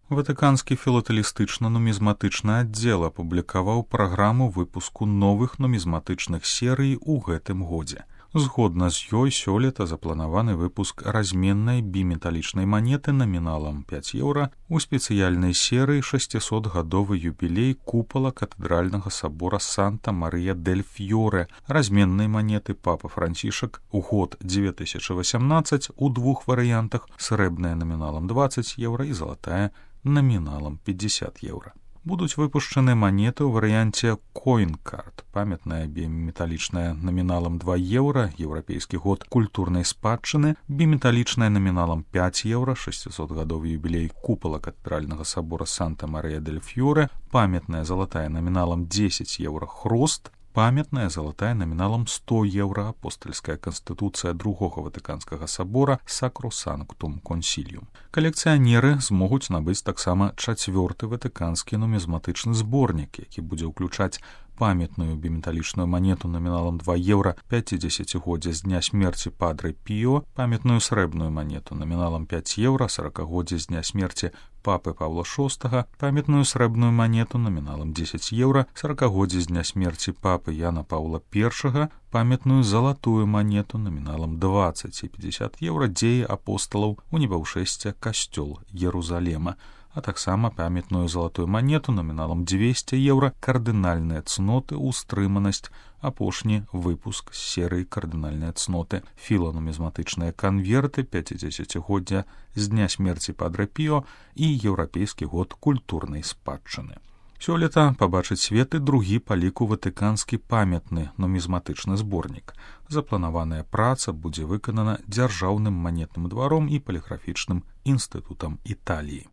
Ватыканскі філатэлістычна-нумізматычны аддзел апублікаваў праграму выпуску новых нумізматычных серый у гэтым годзе. Згодна з ёй сёлета запланаваны выпуск разменнай біметалічнай манеты наміналам 5 еўра у спецыяльнай серыі 600-гадовы юбілей купала катэдральнага сабора Санта-Марыя-дель-Фьоре, разменнай манеты папа Францішак у год 2018 у двух варыянтах: срэбная наміналам 20 еўра і залатая наміналам 50 еўра. Будуць выпушчаны манеты ў варыянце Coin-Card, памятная біметалічная наміналам 2 еўра, еўрапейскі год культурнай спадчыны, біметалічная наміналам 5 еўра, 600-гадовы юбілей купала катэдральнага сабора Санта-Марыя-дель-Фьоре, памятная залатая наміналам 10 еўра хрост, памятная залатая наміналам 100 еўра апостальская канстытуцыя другога ватыканскага сабора Sacrosanctum Concilium. Калекцыянеры змогуць набыць таксама 4-ты ватыканскі нумізматычны зборнік, які будзе ўключаць памятную біметалічную манету наміналам 2 еўра 50-годдзя з дня смерці Падрэ Піо, памятную срэбную манету наміналам 5 еўра 40-годдзя з дня смерці папы Павла VI, памятную срэбную манету наміналам 10 еўра 40-годдзя з дня смерці папы Яна Паўла I, памятную залатую манету наміналам 20 і 50 еўра дзеі апосталаў у небаўшэсце касцёл Єрузалема, а таксама памятную залатую манету наміналам 200 еўра кардынальныя цноты ўстрыманасць, апошні выпуск з серыі кардынальныя цноты, філанумізматычныя канверты 50-годдзя з дня смерці Падрэ Піо і еўрапейскі год культурнай спадчыны. Сёлета пабачыць свет і другі па ліку ватыканскі памятны нумізматычны зборнік. Запланаваная праца будзе выканана дзяржаўным манетным дваром і паліграфічным інстытутам Італіі.